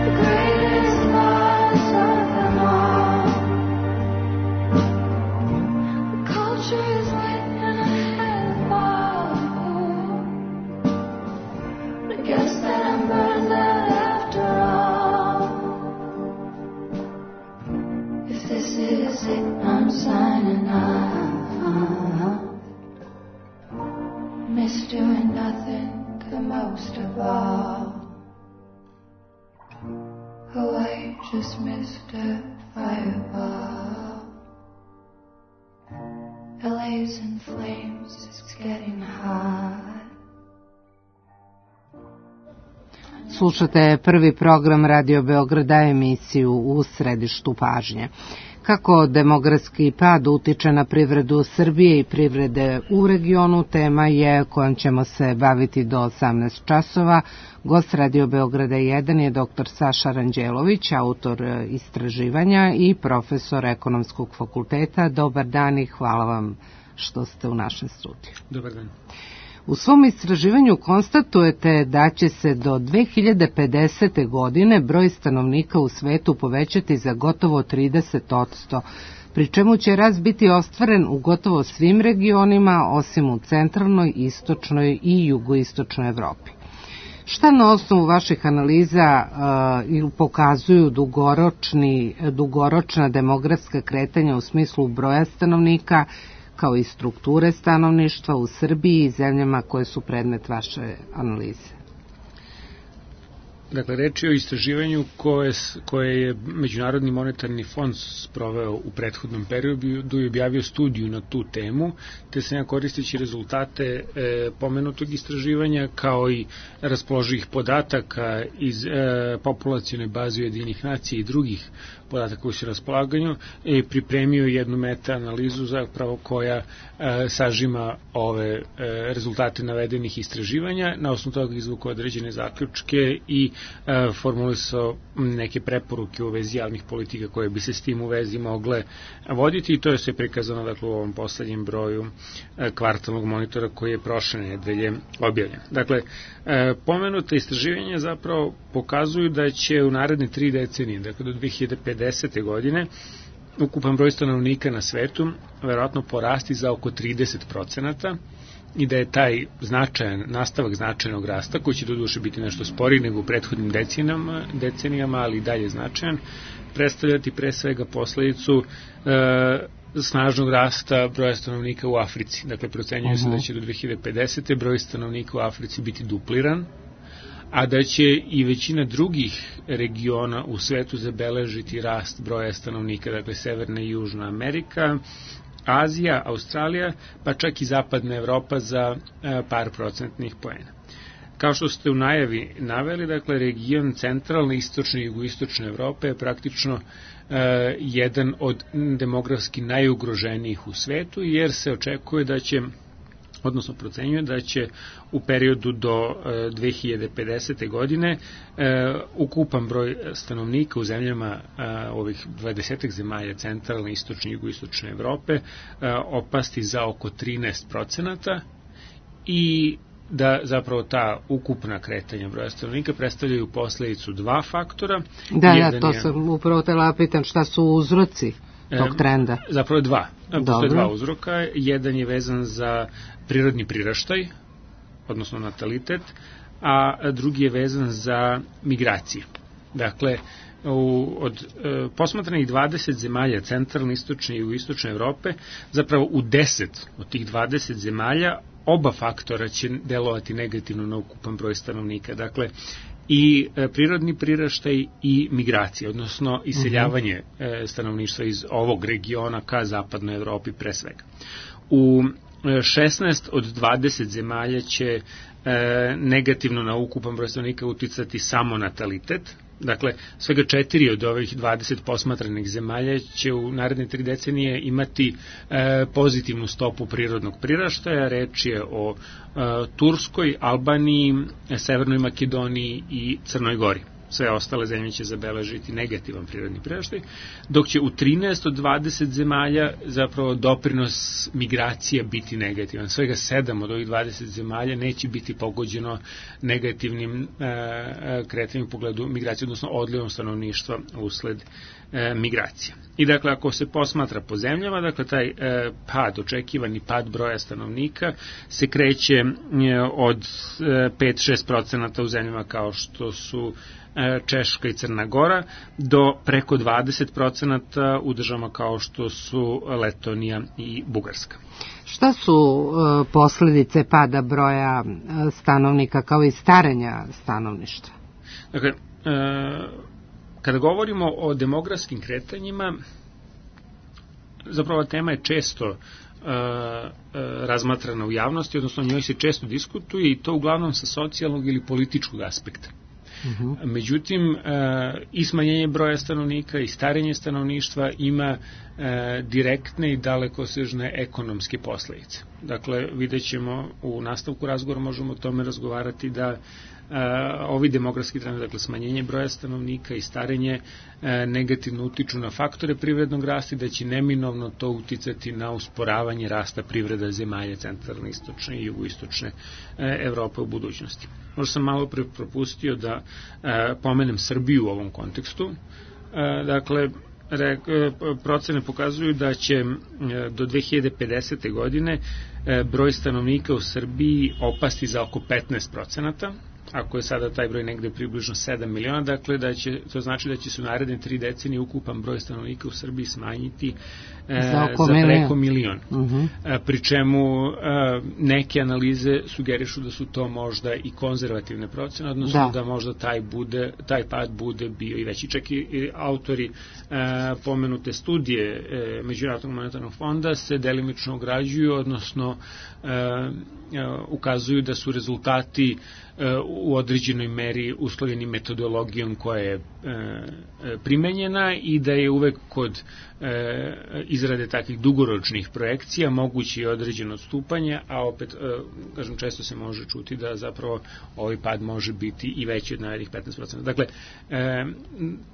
Speaker 21: The greatest loss of them all. The culture is lit and I had a ball. I guess that I'm burned out after all. If this is it, I'm signing off. Miss doing nothing the most of all. Oh, I just missed a fireball. L A's in flames, it's getting hot.
Speaker 3: Slušate prvi program Radio Beograda, emisiju U središtu pažnje. Kako demografski pad utiče na privredu Srbije i privrede u regionu, tema je kojom ćemo se baviti do osamnaest časova. Gost Radio Beograda jedan je doktor Saša Ranđelović, autor istraživanja i profesor Ekonomskog fakulteta. Dobar dan i hvala vam što ste u našem studiju.
Speaker 22: Dobar dan.
Speaker 3: U svom istraživanju konstatujete da će se do dve hiljade pedesete. godine broj stanovnika u svetu povećati za gotovo trideset posto, pri čemu će rast biti ostvaren u gotovo svim regionima, osim u centralnoj, istočnoj i jugoistočnoj Evropi. Šta na osnovu vaših analiza uh, pokazuju dugoročni, dugoročna demografska kretanja u smislu broja stanovnika, kao i strukture stanovništva u Srbiji i zemljama koje su predmet vaše analize?
Speaker 22: Dakle, reč je o istraživanju koje, koje je Međunarodni monetarni fond sproveo u prethodnom periodu i objavio studiju na tu temu, te sam ja koristeći rezultate e, pomenutog istraživanja kao i raspoloživih podataka iz e, populacione baze Ujedinjenih nacija i drugih podataka koji su na raspolaganju, e, pripremio jednu meta-analizu zapravo koja e, sažima ove e, rezultate navedenih istraživanja, na osnovu toga izvukao određene zaključke i e, formulisao neke preporuke u vezi javnih politika koje bi se s tim u vezi mogle voditi, i to je sve prikazano dakle, u ovom poslednjem broju e, kvartalnog monitora koji je prošle nedelje objavljen. Dakle, e, pomenuta istraživanja zapravo pokazuju da će u naredne tri decenije, dakle do dve hiljade pedesete. godine, ukupan broj stanovnika na svetu verovatno porasti za oko trideset procenata i da je taj značajan, nastavak značajnog rasta, koji će doduše biti nešto sporiji nego u prethodnim decenijama, decenijama ali i dalje značajan, predstavljati pre svega posledicu e, snažnog rasta broja stanovnika u Africi. Dakle, procenjuje uh-huh. se da će do dve hiljade pedesete. broj stanovnika u Africi biti dupliran, a da će i većina drugih regiona u svetu zabeležiti rast broja stanovnika, dakle Severna i Južna Amerika, Azija, Australija, pa čak i Zapadna Evropa za e, par procentnih poena. Kao što ste u najavi naveli, dakle, region centralne, istočne i jugoistočne Evrope je praktično e, jedan od demografski najugroženijih u svetu, jer se očekuje da će, odnosno procenjuje da će u periodu do e, dve hiljade pedesete. godine e, ukupan broj stanovnika u zemljama e, ovih dvadesetak zemalja centralne, istočne i jugoistočne Evrope e, opasti za oko trinaest procenata i da zapravo ta ukupna kretanja broja stanovnika predstavljaju posledicu dva faktora.
Speaker 3: Da, Jedan da, to je, sam upravo tela pitan šta su uzroci tog trenda.
Speaker 22: E, zapravo dva. Postoje dva uzroka. Jedan je vezan za prirodni priraštaj, odnosno natalitet, a drugi je vezan za migracije. Dakle, u, od e, posmatranih dvadeset zemalja centralne, istočne i jugoistočne Evrope, zapravo u deset od tih dvadeset zemalja oba faktora će delovati negativno na ukupan broj stanovnika. Dakle, i e, prirodni priraštaj i migracije, odnosno iseljavanje e, stanovništva iz ovog regiona ka zapadnoj Evropi pre svega. U šesnaest od dvadeset zemalja će e, negativno na ukupan broj stanovnika uticati samo natalitet. Dakle, svega četiri od ovih dvadeset posmatranih zemalja će u naredne tri decenije imati e, pozitivnu stopu prirodnog priraštaja. Reč je o e, Turskoj, Albaniji, Severnoj Makedoniji i Crnoj Gori. Sve ostale zemlje će zabeležiti negativan prirodni priraštaj, dok će u trinaest od dvadeset zemalja zapravo doprinos migracija biti negativan. Svega sedam od ovih dvadeset zemalja neće biti pogođeno negativnim e, kretanjem u pogledu migracije, odnosno odlivom stanovništva usled e, migracija. I dakle, ako se posmatra po zemljama, dakle, taj e, pad, očekivani pad broja stanovnika se kreće e, od e, pet do šest procenata u zemljama kao što su Češka i Crna Gora, do preko dvadeset procenata u državama kao što su Letonija i Bugarska.
Speaker 3: Šta su e, posledice pada broja stanovnika kao i starenja stanovništva?
Speaker 22: Dakle, e, kada govorimo o demografskim kretanjima, zapravo tema je često e, e, razmatrana u javnosti, odnosno o njoj se često diskutuje i to uglavnom sa socijalnog ili političkog aspekta. Uh-huh. Međutim, i smanjenje broja stanovnika i starenje stanovništva ima direktne i dalekosežne ekonomske posledice. Dakle, vidjet ćemo u nastavku razgovora, možemo o tome razgovarati da ovi demografski trendovi, dakle smanjenje broja stanovnika i starenje, negativno utiču na faktore privrednog rasta i da će neminovno to uticati na usporavanje rasta privreda zemalja centralne, istočne i jugoistočne Evrope u budućnosti. Možda sam malo pre propustio da pomenem Srbiju u ovom kontekstu. Dakle, procene pokazuju da će do dve hiljade pedesete. godine broj stanovnika u Srbiji opasti za oko petnaest procenata, ako je sada taj broj negde približno sedam miliona, dakle da će, to znači da će se u naredne tri decenije ukupan broj stanovnika u Srbiji smanjiti e, za, za preko milion. Uh-huh. E, pri čemu e, neke analize sugerišu da su to možda i konzervativne procene, odnosno da, da možda taj, bude, taj pad bude bio i veći. Čak i, i autori e, pomenute studije e, Međunarodnog monetarnog fonda se delimično ograđuju, odnosno e, e, ukazuju da su rezultati u određenoj meri uslovljeni metodologijom koja je e, primenjena i da je uvek kod e, izrade takvih dugoročnih projekcija moguće i određeno odstupanje, a opet, e, kažem, često se može čuti da zapravo ovaj pad može biti i veći od narednih petnaest procenata. Dakle, e,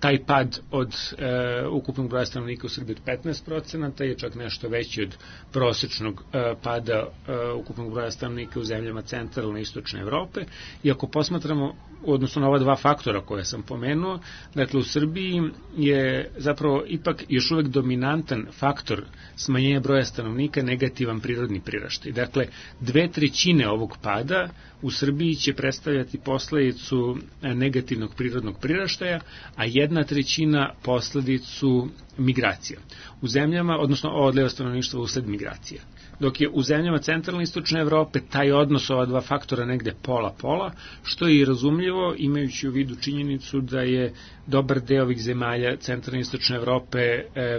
Speaker 22: taj pad od e, ukupnog broja stanovnika u Srbiji od petnaest procenata je čak nešto veći od prosečnog e, pada e, ukupnog broja stanovnika u zemljama centralne i istočne Evrope. I ako posmatramo, odnosno na ova dva faktora koje sam pomenuo, dakle u Srbiji je zapravo ipak još uvek dominantan faktor smanjenja broja stanovnika negativan prirodni priraštaj. Dakle, dve trećine ovog pada u Srbiji će predstavljati posledicu negativnog prirodnog priraštaja, a jedna trećina posledicu migracija. U zemljama, odnosno odliva stanovništva usled migracija. Dok je u zemljama centralne i istočne Evrope taj odnos ova dva faktora negde pola-pola, što je i razumljivo imajući u vidu činjenicu da je dobar deo ovih zemalja centralne i istočne Evrope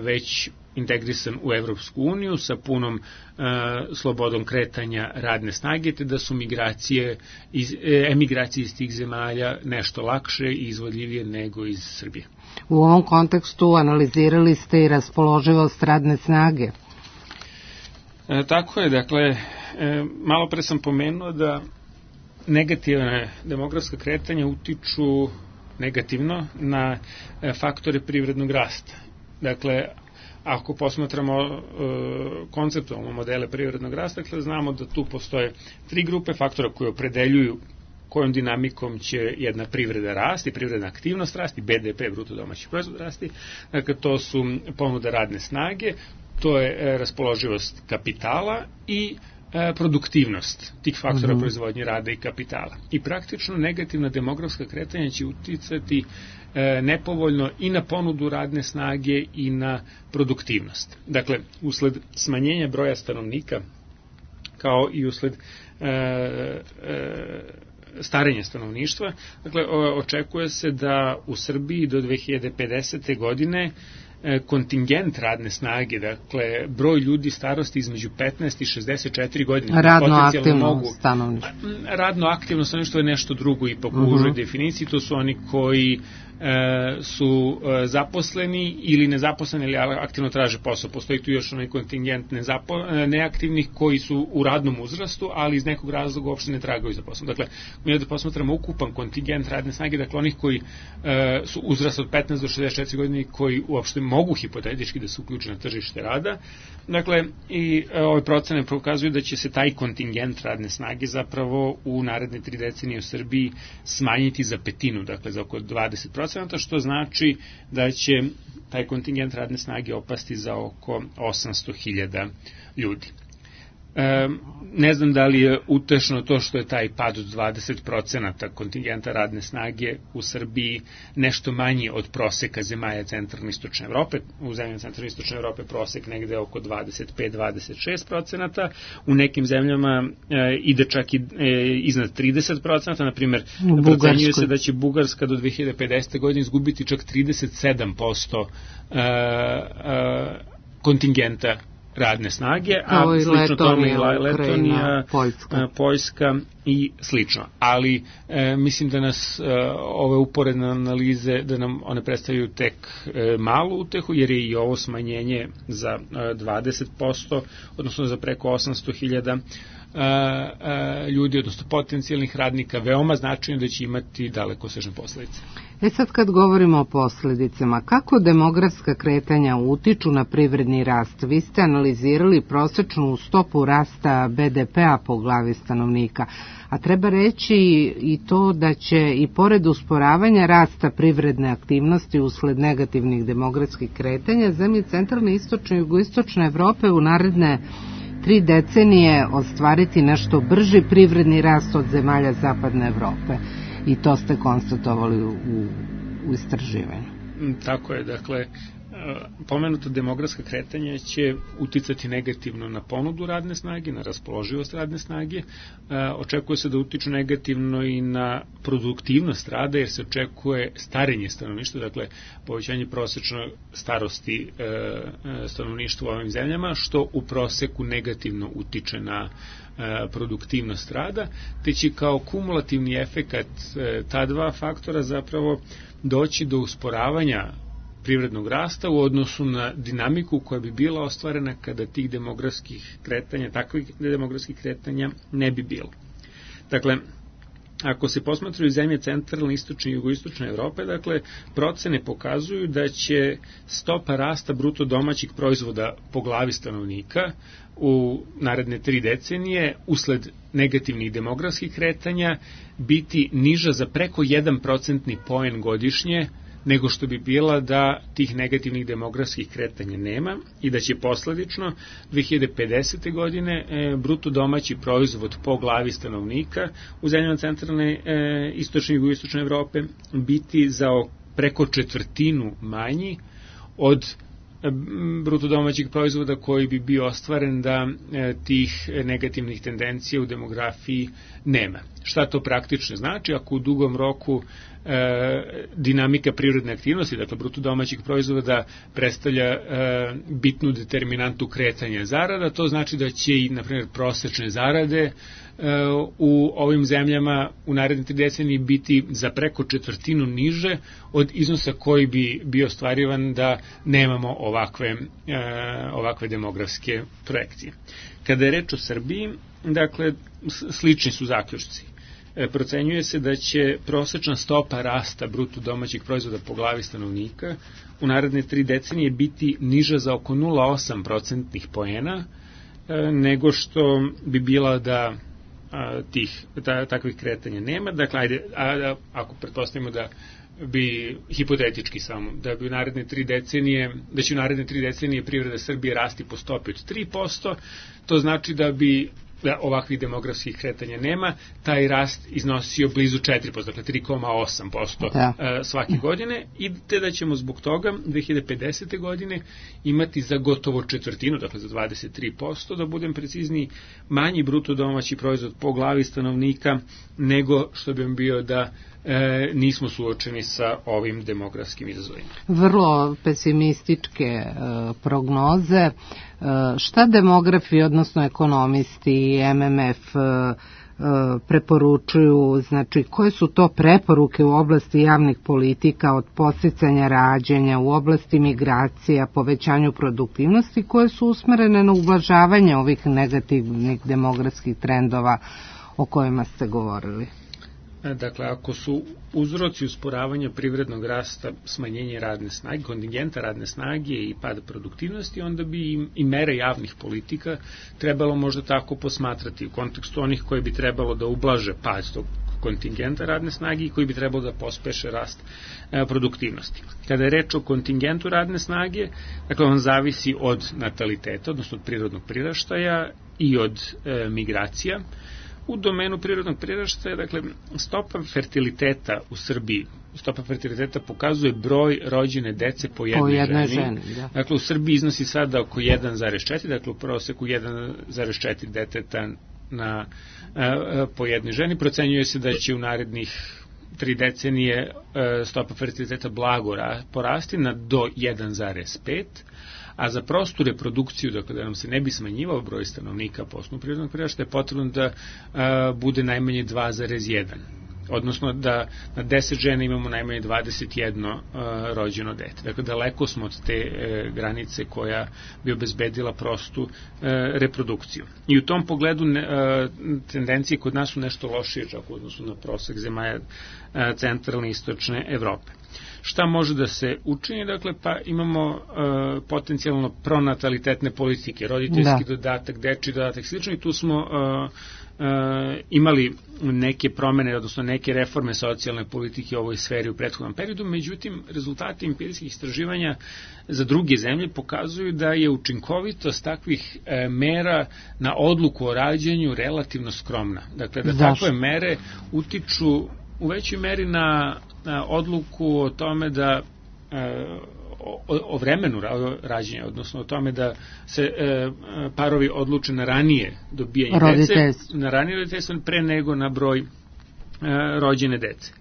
Speaker 22: već integrisan u Evropsku uniju sa punom e, slobodom kretanja radne snage, te da su migracije iz, e, emigracije iz tih zemalja nešto lakše i izvodljivije nego iz Srbije.
Speaker 3: U ovom kontekstu analizirali ste i raspoloživost radne snage.
Speaker 22: E, tako je, dakle, e, malo pre sam pomenuo da negativne demografska kretanja utiču negativno na e, faktore privrednog rasta. Dakle, ako posmatramo e, konceptualno modele privrednog rasta, dakle, znamo da tu postoje tri grupe faktora koje opredeljuju kojom dinamikom će jedna privreda rasti, privredna aktivnost rasti, be de pe, bruto domaći proizvod rasti. Dakle, to su ponuda radne snage, to je e, raspoloživost kapitala i e, produktivnost tih faktora mm-hmm. proizvodnje rada i kapitala. I praktično negativna demografska kretanja će uticati e, nepovoljno i na ponudu radne snage i na produktivnost. Dakle, usled smanjenja broja stanovnika, kao i usled e, e, starenje stanovništva. Dakle, očekuje se da u Srbiji do dve hiljade pedesete. godine kontingent radne snage, dakle, broj ljudi starosti između petnaest i šezdeset četiri godine.
Speaker 3: Radno aktivno stanovništvo.
Speaker 22: Radno aktivno stanovništvo je nešto drugo i po užoj uh-huh. definiciji, to su oni koji e, su e, zaposleni ili nezaposleni, ili aktivno traže posao. Postoji tu još onaj kontingent nezapo, neaktivnih koji su u radnom uzrastu, ali iz nekog razloga uopšte ne tragaju za poslom. Dakle, mi da posmatramo ukupan kontingent radne snage, dakle, onih koji e, su uzrast od petnaest do šezdeset četiri godine, koji uopšte mogu hipotetički da se uključe na tržište rada. Dakle, i e, ove procene pokazuju da će se taj kontingent radne snage zapravo u naredne tri decenije u Srbiji smanjiti za petinu, dakle za oko dvadeset procenata, što znači da će taj kontingent radne snage opasti za oko osamsto hiljada ljudi. E, ne znam da li je utešno to što je taj pad od dvadeset procenata kontingenta radne snage u Srbiji nešto manji od proseka zemalja centralne i istočne Evrope. U zemljama centralne i istočne Evrope prosek negde oko dvadeset pet do dvadeset šest procenata. U nekim zemljama e, ide čak i e, iznad trideset procenata. Naprimer, procenjuje se da će Bugarska do dve hiljade pedesete. godine izgubiti čak trideset sedam posto e, e, kontingenta radne snage, a slično tome i Letonija, Poljska. Poljska i slično. Ali e, mislim da nas e, ove uporedne analize, da nam one predstavljaju tek e, malu utehu, jer je i ovo smanjenje za e, dvadeset posto, odnosno za preko osamsto hiljada ljudi, odnosno potencijalnih radnika, veoma značajno da će imati dalekosežne posledice.
Speaker 3: E sad kad govorimo o posledicama, kako demografska kretanja utiču na privredni rast? Vi ste analizirali prosečnu stopu rasta be de pea po glavi stanovnika, a treba reći i to da će i pored usporavanja rasta privredne aktivnosti usled negativnih demografskih kretanja, zemlje centralne, istočne i jugoistočne Evrope u naredne tri decenije ostvariti nešto brži privredni rast od zemalja zapadne Evrope. I to ste konstatovali u, u istraživanju.
Speaker 22: Tako je, dakle, pomenuto demografska kretanja će uticati negativno na ponudu radne snage, na raspoloživost radne snage. Očekuje se da utiču negativno i na produktivnost rada, jer se očekuje starenje stanovništva, dakle povećanje prosečne starosti stanovništva u ovim zemljama, što u proseku negativno utiče na produktivnost rada, te će kao kumulativni efekat ta dva faktora zapravo doći do usporavanja privrednog rasta u odnosu na dinamiku koja bi bila ostvarena kada tih demografskih kretanja, takvih demografskih kretanja ne bi bilo. Dakle, ako se posmatraju zemlje centralne, istočne i jugoistočne Evrope, dakle, procene pokazuju da će stopa rasta bruto domaćih proizvoda po glavi stanovnika u naredne tri decenije usled negativnih demografskih kretanja biti niža za preko jedan procentni poen godišnje nego što bi bila da tih negativnih demografskih kretanja nema i da će posledično dve hiljade pedesete. godine e, bruto domaći proizvod po glavi stanovnika u zemljama centralne, e, istočne i jugoistočne Evrope biti za preko četvrtinu manji od bruto domaćeg proizvoda koji bi bio ostvaren da e, tih negativnih tendencija u demografiji nema. Šta to praktično znači? Ako u dugom roku e, dinamika privredne aktivnosti, dakle bruto domaćeg proizvoda, predstavlja e, bitnu determinantu kretanja zarada, to znači da će i, na primjer, prosečne zarade u ovim zemljama u naredne tri decenije biti za preko četvrtinu niže od iznosa koji bi bio ostvarivan da nemamo ovakve, ovakve demografske projekcije. Kada je reč o Srbiji, dakle, slični su zaključci. Procenjuje se da će prosečna stopa rasta bruto domaćeg proizvoda po glavi stanovnika u naredne tri decenije biti niža za oko nula zarez osam procentnih poena nego što bi bila da tih ta, takvih kretanja nema. Dakle, ajde, a, a, ako pretpostavimo da bi, hipotetički samo, da bi u naredne tri decenije, da će u naredne tri decenije privreda Srbije rasti po stopi od tri posto, to znači da bi ovakvih demografskih kretanja nema, taj rast iznosio blizu četiri posto, dakle tri zarez osam posto da. svake godine, i te da ćemo zbog toga dve hiljade pedesete. godine imati za gotovo četvrtinu, dakle za dvadeset tri posto, da budem precizniji, manji bruto domaći proizvod po glavi stanovnika nego što bi bio da e, nismo suočeni sa ovim demografskim izazovima.
Speaker 3: Vrlo pesimističke e, prognoze. E, šta demografi, odnosno ekonomisti, M M F e, preporučuju, znači koje su to preporuke u oblasti javnih politika, od podsticanja rađanja, u oblasti migracija, povećanju produktivnosti, koje su usmerene na ublažavanje ovih negativnih demografskih trendova o kojima ste govorili?
Speaker 22: Dakle, ako su uzroci usporavanja privrednog rasta smanjenje radne snage, kontingenta radne snage i pada produktivnosti, onda bi i mere javnih politika trebalo možda tako posmatrati u kontekstu onih koji bi trebalo da ublaže pad tog kontingenta radne snage i koji bi trebalo da pospeše rast produktivnosti. Kada je reč o kontingentu radne snage, dakle on zavisi od nataliteta, odnosno od prirodnog priraštaja i od e, migracija. U domenu prirodnog priraštaja, dakle, stopa fertiliteta u Srbiji, stopa fertiliteta pokazuje broj rođene dece po jednoj, po jednoj ženi. ženi da. Dakle, u Srbiji iznosi sada oko jedan zarez četiri, dakle u proseku jedan zarez četiri deteta na, a, po jednoj ženi. Procenjuje se da će u narednih tri decenije a, stopa fertiliteta blago porasti na do jedan zarez pet, a za prostu reprodukciju, dakle da nam se ne bi smanjivao broj stanovnika po osnovu prirodnog priraštaja, je potrebno da a, bude najmanje dva zarez jedan. Odnosno da na deset žena imamo najmanje dvadeset jedno a, rođeno dete. Dakle, daleko smo od te e, granice koja bi obezbedila prostu e, reprodukciju. I u tom pogledu ne, a, tendencije kod nas su nešto lošije, čak u odnosu na prosek zemalja a, centralne i istočne Evrope. Šta može da se učini? Dakle, pa imamo uh, potencijalno pronatalitetne politike, roditeljski da. dodatak, dečji dodatak, slično, i tu smo uh, uh, imali neke promene, odnosno neke reforme socijalne politike u ovoj sferi u prethodnom periodu, međutim, rezultati empirijskih istraživanja za druge zemlje pokazuju da je učinkovitost takvih uh, mera na odluku o rađanju relativno skromna. Dakle, da Zašto? takve mere utiču u većoj meri na, na odluku o tome da e, o, o vremenu rađenja, odnosno o tome da se e, parovi odluče na ranije dobijanje dece, na ranije roditeljstvo pre nego na broj e, rođene dece.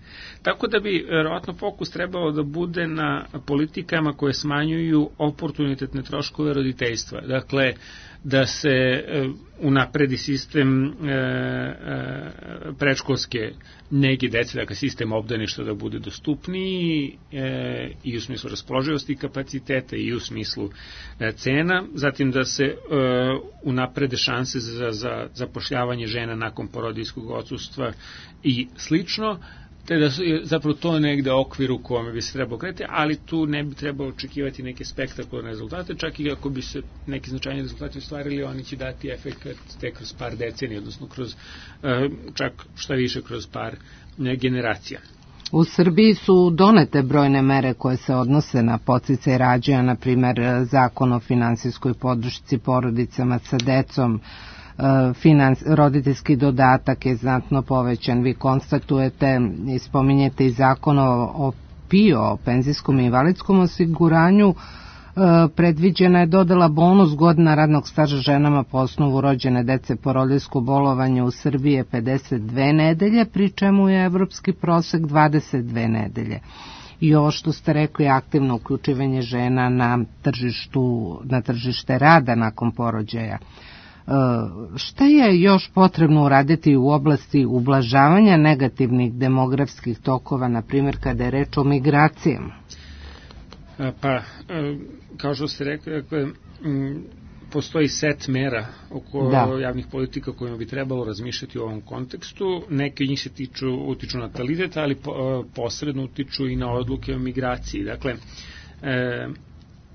Speaker 22: Tako da bi verovatno fokus trebalo da bude na politikama koje smanjuju oportunitetne troškove roditeljstva. Dakle, da se e, unapredi sistem e, e, predškolske nege dece, dakle sistem obdaništa da bude dostupniji e, i u smislu raspoloživosti kapaciteta i u smislu e, cena, zatim da se e, unaprede šanse za, za zapošljavanje žena nakon porodiljskog odsustva i slično, te da je zapravo to negde okvir u kome bi se trebalo kretati, ali tu ne bi trebalo očekivati neke spektakularne rezultate, čak i ako bi se neki značajni rezultati ostvarili, oni će dati efekt tek kroz par decenija, odnosno kroz, čak šta više kroz par generacija.
Speaker 3: U Srbiji su donete brojne mere koje se odnose na podsticaj rađanja, na primer zakon o finansijskoj podršci porodicama sa decom, Finans, roditeljski dodatak je znatno povećan. Vi konstatujete i spominjete i zakon o, o P I O, o penzijskom i invalidskom osiguranju. Predviđena je dodela bonus godina radnog staža ženama po osnovu rođene dece. Porodiljsko bolovanje u Srbiji je pedeset dve nedelje, pri čemu je evropski prosek dvadeset dve nedelje. I ovo što ste rekli, aktivno uključivanje žena na tržištu, na tržište rada nakon porođaja. Šta je još potrebno uraditi u oblasti ublažavanja negativnih demografskih tokova, na primjer kada je reč o migracijama?
Speaker 22: Pa, kao što ste rekli, postoji set mera oko da. javnih politika kojima bi trebalo razmišljati u ovom kontekstu. Neke njih se tiču, utiču na natalitet, ali posredno utiču i na odluke o migraciji. Dakle,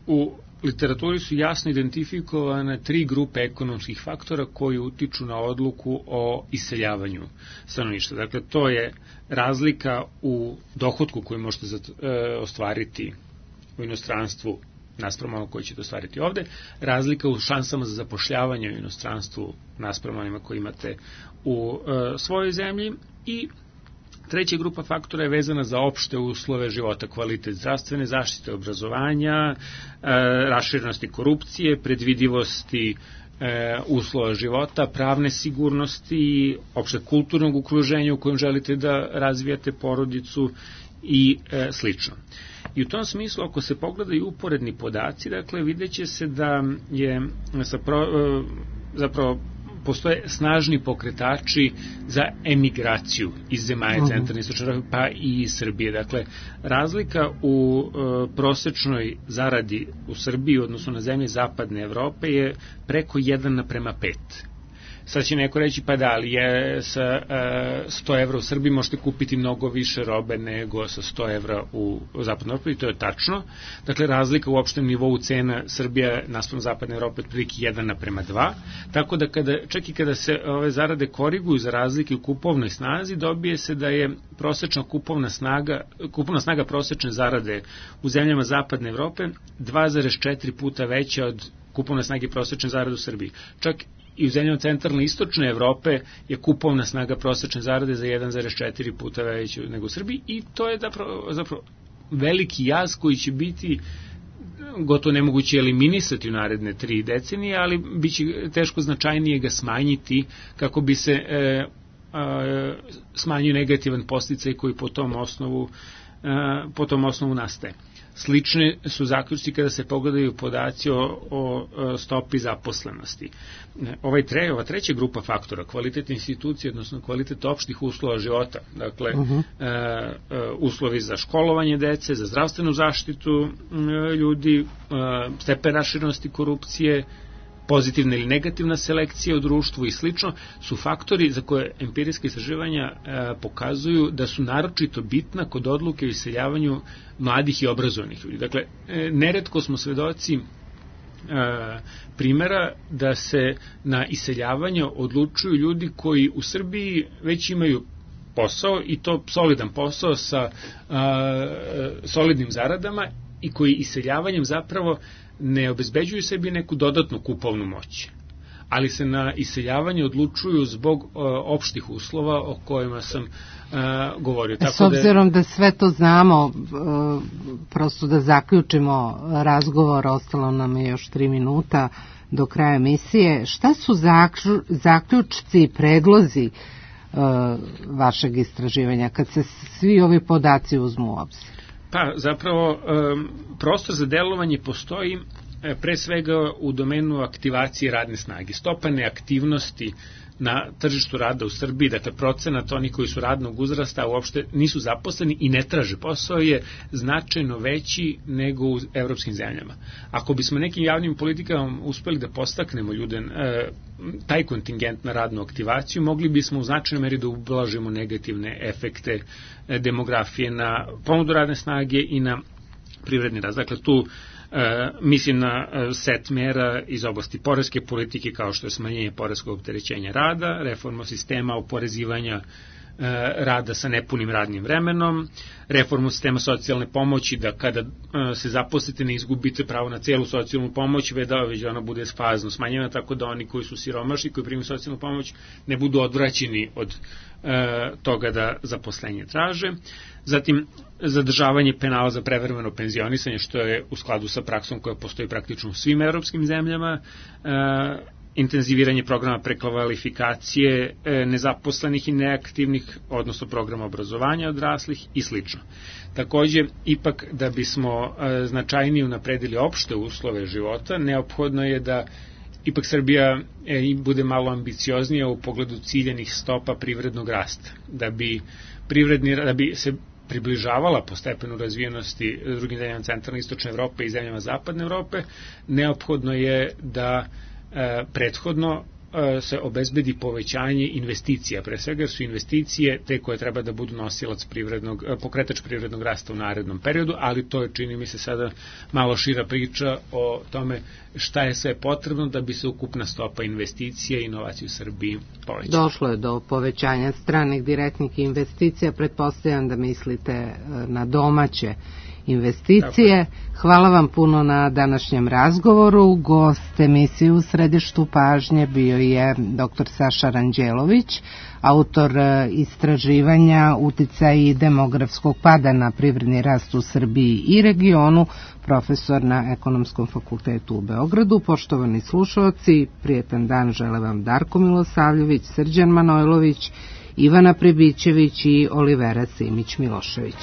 Speaker 22: u literaturi su jasno identifikovane tri grupe ekonomskih faktora koji utiču na odluku o iseljavanju stanovništva. Dakle, to je razlika u dohotku koju možete ostvariti u inostranstvu naspram onog koji ćete ostvariti ovde, razlika u šansama za zapošljavanje u inostranstvu naspram onima koji imate u e, svojoj zemlji i treća grupa faktora je vezana za opšte uslove života, kvalitet zdravstvene zaštite, obrazovanja, e, raširenosti korupcije, predvidivosti e, uslova života, pravne sigurnosti, opšte kulturnog okruženja u kojem želite da razvijate porodicu i e, slično. I u tom smislu, ako se pogledaju uporedni podaci, dakle, vidjet će se da je zapro, e, zapravo postoje snažni pokretači za emigraciju iz zemalja uh-huh. centralne istočne Evrope, pa i iz Srbije. Dakle, razlika u e, prosečnoj zaradi u Srbiji, odnosno na zemlje zapadne Evrope, je preko jedan naprema pet. Sad će neko reći, pa da, ali je sa e, sto evra u Srbiji možete kupiti mnogo više robe nego sa sto evra u, u zapadnoj Evropi, i to je tačno. Dakle, razlika u opštem nivou cena Srbija naspram zapadne Evrope je prilike jedan naprema dva, tako da kada, čak i kada se ove zarade koriguju za razlike u kupovnoj snazi, dobije se da je prosečna kupovna snaga, kupovna snaga prosečne zarade u zemljama zapadne Evrope dva zarez četiri puta veća od kupovne snage prosečne zarade u Srbiji. Čak i u zemljama centralne i istočne Evrope je kupovna snaga prosečne zarade za jedan zarez četiri puta veća nego u Srbiji, i to je zapravo, zapravo veliki jaz koji će biti gotovo nemoguće eliminisati u naredne tri decenije, ali bit će teško značajnije ga smanjiti kako bi se e, e, smanjio negativan posticaj koji po tom osnovu, e, po tom osnovu nastaje. Slične su zaključci kada se pogledaju podaci o, o stopi zaposlenosti. Ovaj tre, ova treća grupa faktora, kvalitet institucije, odnosno kvalitet opštih uslova života, dakle, uh-huh. e, e, uslovi za školovanje dece, za zdravstvenu zaštitu e, ljudi, e, stepen raširenosti korupcije, pozitivna ili negativna selekcija u društvu i slično, su faktori za koje empirijska istraživanja e, pokazuju da su naročito bitna kod odluke o iseljavanju mladih i obrazovanih ljudi. Dakle, e, neretko smo svedoci e, primjera da se na iseljavanje odlučuju ljudi koji u Srbiji već imaju posao, i to solidan posao sa a, solidnim zaradama, i koji iseljavanjem zapravo ne obezbeđuju sebi neku dodatnu kupovnu moć, ali se na iseljavanje odlučuju zbog uh, opštih uslova o kojima sam uh, govorio.
Speaker 3: Tako S obzirom da, da sve to znamo, uh, prosto da zaključimo razgovor, ostalo nam je još tri minuta do kraja emisije, šta su zaklju, zaključci i predlozi uh, vašeg istraživanja kad se svi ovi podaci uzmu u obzir?
Speaker 22: Pa, zapravo, prostor za delovanje postoji pre svega u domenu aktivacije radne snage. Stopa neaktivnosti na tržištu rada u Srbiji, dakle procenat oni koji su radnog uzrasta uopšte nisu zaposleni i ne traže posao, je značajno veći nego u evropskim zemljama. Ako bismo nekim javnim politikama uspeli da postaknemo ljude, e, taj kontingent na radnu aktivaciju, mogli bismo u značajnoj meri da ublažimo negativne efekte e, demografije na ponudu radne snage i na privredni rast. Dakle, tu E, mislim na e, set mera iz oblasti poreske politike, kao što je smanjenje poreskog opterećenja rada, reforma sistema oporezivanja e, rada sa nepunim radnim vremenom, reformu sistema socijalne pomoći, da kada e, se zaposlite ne izgubite pravo na celu socijalnu pomoć, već da, već da ona bude fazno smanjena, tako da oni koji su siromašni, koji primaju socijalnu pomoć, ne budu odvraćeni od e, toga da zaposlenje traže. Zatim, zadržavanje penala za prevremeno penzionisanje, što je u skladu sa praksom koja postoji praktično u svim evropskim zemljama, e, intenziviranje programa prekvalifikacije e, nezaposlenih i neaktivnih, odnosno programa obrazovanja odraslih i slično. Takođe, ipak da bismo e, značajnije unapredili opšte uslove života, neophodno je da ipak Srbija e, bude malo ambicioznija u pogledu ciljenih stopa privrednog rasta, da bi privredni, da bi se približavala po stepenu razvijenosti drugim zemljama centralne i istočne Evrope i zemljama zapadne Evrope, neophodno je da e, prethodno e, se obezbedi povećanje investicija. Pre svega su investicije te koje treba da budu nosilac privrednog, pokretač privrednog rasta u narednom periodu, ali to je, čini mi se, sada malo šira priča o tome šta je sve potrebno da bi se ukupna stopa investicija i inovacija u Srbiji povećala.
Speaker 3: Došlo je do povećanja stranih direktnih investicija, pretpostavljam da mislite na domaće investicije. Hvala vam puno na današnjem razgovoru. Gost emisije U središtu pažnje bio je doktor Saša Ranđelović, autor istraživanja uticaji demografskog pada na privredni rast u Srbiji i regionu, profesor na Ekonomskom fakultetu u Beogradu. Poštovani slušalci, prijetan dan žele vam Darko Milosavljević, Srđan Manojlović, Ivana Pribićević i Olivera Simić Milošević.